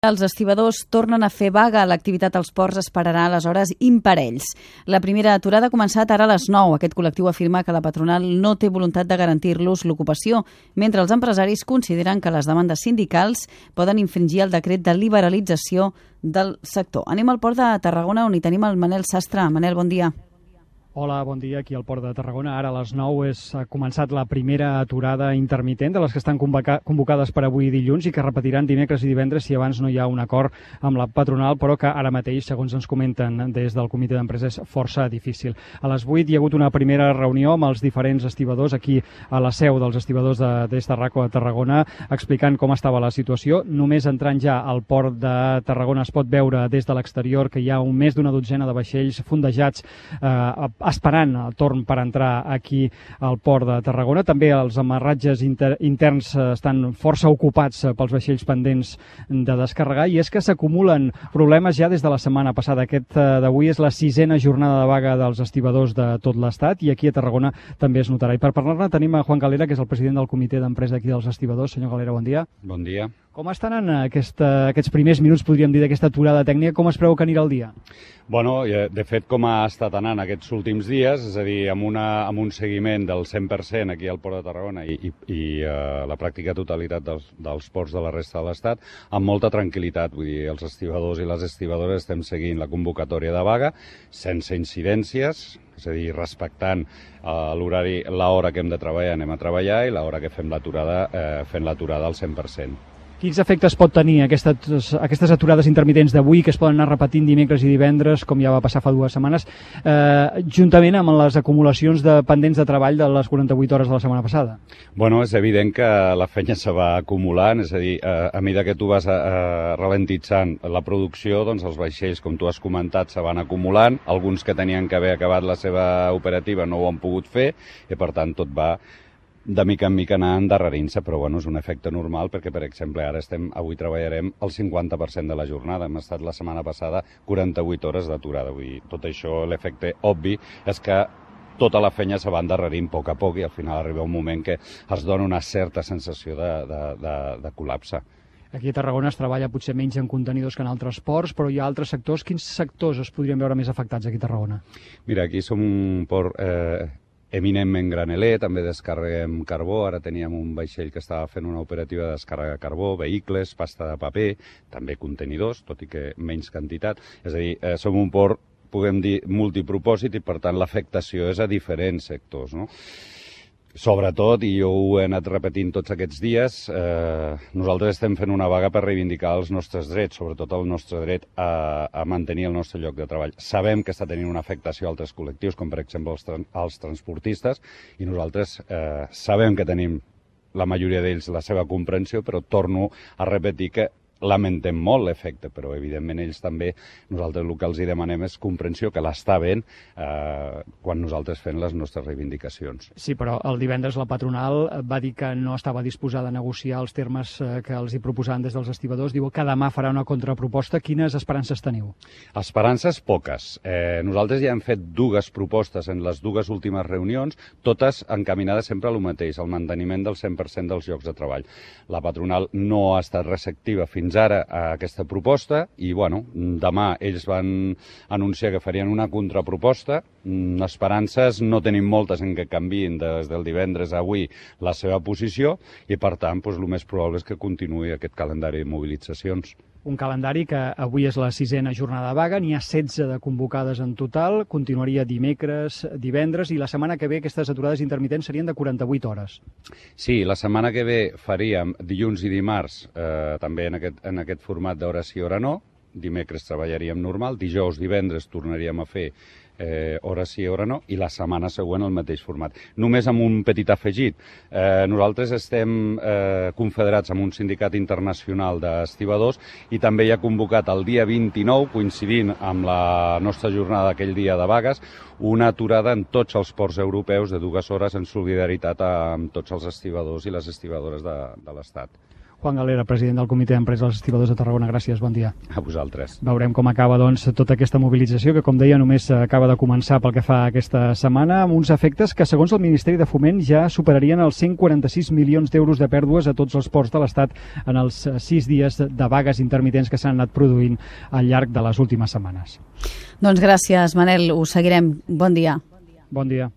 Els estibadors tornen a fer vaga. L'activitat als ports esperarà a les hores imparells. La primera aturada ha començat ara a les 9. Aquest col·lectiu afirma que la patronal no té voluntat de garantir-los l'ocupació, mentre els empresaris consideren que les demandes sindicals poden infringir el decret de liberalització del sector. Anem al port de Tarragona, on hi tenim el Manel Sastre. Manel, bon dia. Hola, bon dia. Aquí al Port de Tarragona. Ara a les 9 ha començat la primera aturada intermitent de les que estan convocades per avui dilluns i que repetiran dimecres i divendres si abans no hi ha un acord amb la patronal, però que ara mateix, segons ens comenten des del comitè d'empresa, és força difícil. A les 8 hi ha hagut una primera reunió amb els diferents estibadors aquí a la seu dels estibadors d'Estarraco a Tarragona, explicant com estava la situació. Només entrant ja al Port de Tarragona es pot veure des de l'exterior que hi ha més d'una dotzena de vaixells fondejats esperant el torn per entrar aquí al Port de Tarragona. També els amarratges interns estan força ocupats pels vaixells pendents de descarregar, i és que s'acumulen problemes ja des de la setmana passada. Aquest d'avui és la 6a jornada de vaga dels estibadors de tot l'Estat, i aquí a Tarragona també es notarà. I per parlar-ne tenim a Juan Galera, que és el president del comitè d'empresa aquí dels estibadors. Senyor Galera, bon dia. Bon dia. Com estan en aquests primers minuts, podríem dir, d'aquesta aturada tècnica? Com es preveu que anirà el dia? Bueno, de fet, com ha estat anant aquests últims dies, és a dir, amb un seguiment del 100% aquí al Port de Tarragona i la pràctica totalitat dels ports de la resta de l'Estat, amb molta tranquil·litat. Vull dir, els estibadors i les estibadores estem seguint la convocatòria de vaga sense incidències, és a dir, respectant l'horari, l'hora que hem de treballar anem a treballar, i l'hora que fem l'aturada fent l'aturada al 100%. Quins efectes pot tenir aquestes aturades intermitents d'avui, que es poden anar repetint dimecres i divendres, com ja va passar fa 2 setmanes, juntament amb les acumulacions de pendents de treball de les 48 hores de la setmana passada? Bueno, és evident que la feina se va acumulant, és a dir, a mesura que tu vas ralentitzant la producció, doncs els vaixells, com tu has comentat, se van acumulant. Alguns que tenien que haver acabat la seva operativa no ho han pogut fer, i per tant tot va de mica en mica anar endarrerint-se, però bueno, és un efecte normal perquè, per exemple, avui treballarem el 50% de la jornada. Hem estat la setmana passada 48 hores d'aturada. Vull dir, tot això, l'efecte obvi és que tota la feina se va endarrerint a poc, i al final arriba un moment que es dona una certa sensació de col·lapse. Aquí a Tarragona es treballa potser menys en contenidors que en altres ports, però hi ha altres sectors. Quins sectors es podrien veure més afectats aquí a Tarragona? Mira, aquí som un port eminentment graneler, també descarreguem carbó. Ara teníem un vaixell que estava fent una operativa de descàrrega de carbó, vehicles, pasta de paper, també contenidors, tot i que menys quantitat. És a dir, som un port, podem dir, multipropòsit, i per tant l'afectació és a diferents sectors, no? Sobretot, i jo ho he anat repetint tots aquests dies, nosaltres estem fent una vaga per reivindicar els nostres drets, sobretot el nostre dret a mantenir el nostre lloc de treball. Sabem que està tenint una afectació a altres col·lectius, com per exemple els transportistes, i nosaltres sabem que tenim, la majoria d'ells, la seva comprensió, però torno a repetir que lamentem molt l'efecte, però evidentment ells també, nosaltres el que els demanem és comprensió, que l'està havent quan nosaltres fem les nostres reivindicacions. Sí, però el divendres la patronal va dir que no estava disposada a negociar els termes que els hi proposaven des dels estibadors. Diu que demà farà una contraproposta. Quines esperances teniu? Esperances poques. Nosaltres ja hem fet 2 propostes en les 2 últimes reunions, totes encaminades sempre a lo mateix, al manteniment del 100% dels llocs de treball. La patronal no ha estat receptiva fins ara a aquesta proposta, i bueno, demà ells van anunciar que farien una contraproposta. Esperances no tenim moltes en que canviïn des del divendres a avui la seva posició, i per tant el més probable és que continuï aquest calendari de mobilitzacions. Un calendari que avui és la 6a jornada de vaga, n'hi ha 16 de convocades en total, continuaria dimecres, divendres, i la setmana que ve aquestes aturades intermitents serien de 48 hores. Sí, la setmana que ve faríem dilluns i dimarts també en aquest format d'hora sí, hora no. Dimecres treballaríem normal, dijous, divendres tornaríem a fer hora sí, hora no, i la setmana següent el mateix format. Només amb un petit afegit. Nosaltres estem confederats amb un sindicat internacional d'estibadors, i també hi ha convocat el dia 29, coincidint amb la nostra jornada d'aquell dia de vagues, una aturada en tots els ports europeus de 2 hores en solidaritat amb tots els estibadors i les estibadores de l'Estat. Juan Galera, president del Comitè d'Empresa dels Estibadors de Tarragona, gràcies, bon dia. A vosaltres. Veurem com acaba tota aquesta mobilització, que com deia només acaba de començar pel que fa a aquesta setmana, amb uns efectes que segons el Ministeri de Foment ja superarien els 146 milions d'euros de pèrdues a tots els ports de l'Estat en els 6 dies de vagues intermitents que s'han anat produint al llarg de les últimes setmanes. Doncs gràcies, Manel, ho seguirem. Bon dia. Bon dia.